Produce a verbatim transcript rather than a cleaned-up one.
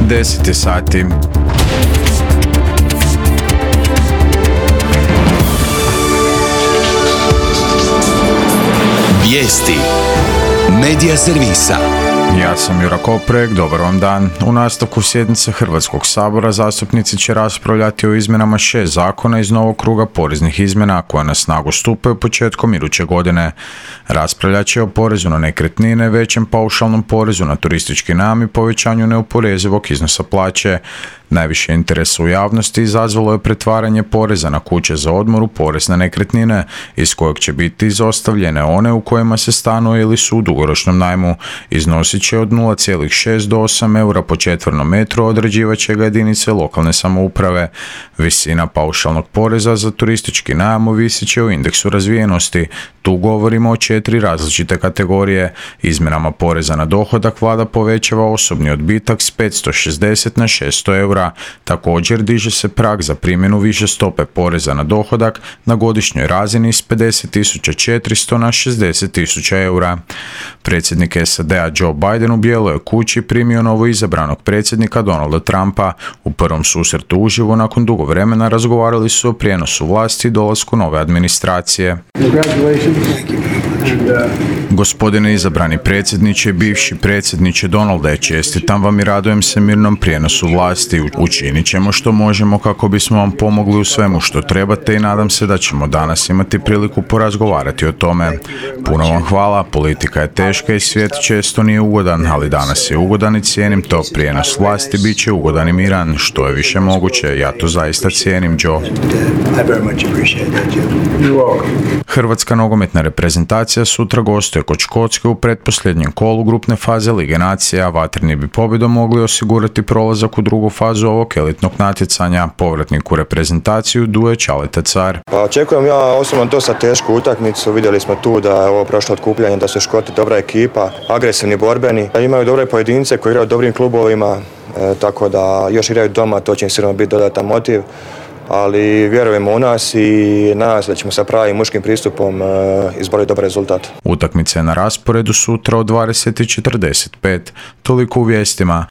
deset je sati. Vijesti Medija servisa. Ja sam Jura Koprek, dobar vam dan. U nastavku sjednice Hrvatskog sabora zastupnici će raspravljati o izmjenama šest zakona iz novog kruga poreznih izmjena koje na snagu stupaju početkom iduće godine. Raspravljat će o porezu na nekretnine, većem paušalnom porezu na turistički najam i povećanju neoporezivog iznosa plaće. Najviše interesa u javnosti izazvalo je pretvaranje poreza na kuće za odmor u porez na nekretnine, iz kojeg će biti izostavljene one u kojima se stanuje ili su u dugoročnom najmu. Iznosit će od nula zarez šest do osam eura po četvornom metru, određivat će ga jedinice lokalne samouprave. Visina paušalnog poreza za turistički najam ovisit će o indeksu razvijenosti. Tu govorimo o četiri različite kategorije. Izmjenama poreza na dohodak vlada povećava osobni odbitak s petsto šezdeset na šesto eura. Također diže se prag za primjenu više stope poreza na dohodak na godišnjoj razini s pedeset tisuća četiristo na šezdeset tisuća eura. Predsjednik S A D-a Joe Biden u Bijeloj kući primio novo izabranog predsjednika Donalda Trumpa. U prvom susretu uživo nakon dugo vremena razgovarali su o prijenosu vlasti i dolasku nove administracije. Gospodine izabrani predsjedniče i bivši predsjedniče Donalde, čestitam vam i radujem se mirnom prijenosu vlasti. Učinit ćemo što možemo kako bismo vam pomogli u svemu što trebate i nadam se da ćemo danas imati priliku porazgovarati o tome. Puno vam hvala, politika je teška i svijet često nije ugodan, ali danas je ugodan i cijenim to. Prijenos vlasti bit će ugodan i miran, što je više moguće. Ja to zaista cijenim, Joe. Hrvatska nogometna reprezentacija sutra gostuje kod Škotske u pretposljednjem kolu grupne faze Lige nacija. Vatreni bi pobjedom mogli osigurati prolazak u drugu fazu ovog elitnog natjecanja. Povratnik u reprezentaciju Duje Ćaleta Car. Pa očekujem ja osobno dosta tešku utakmicu. Vidjeli smo tu da je ovo prošlo otkupljanje, da su Škoti dobra ekipa, agresivni, borbeni. Imaju dobre pojedince koji igraju u dobrim klubovima, e, tako da još igraju doma, to će im sigurno biti dodatan motiv. Ali vjerujemo u nas i nadam se da ćemo sa pravim muškim pristupom e, izboriti dobar rezultat. Utakmica je na rasporedu sutra od dvadeset i četrdeset pet. Toliko u vijestima.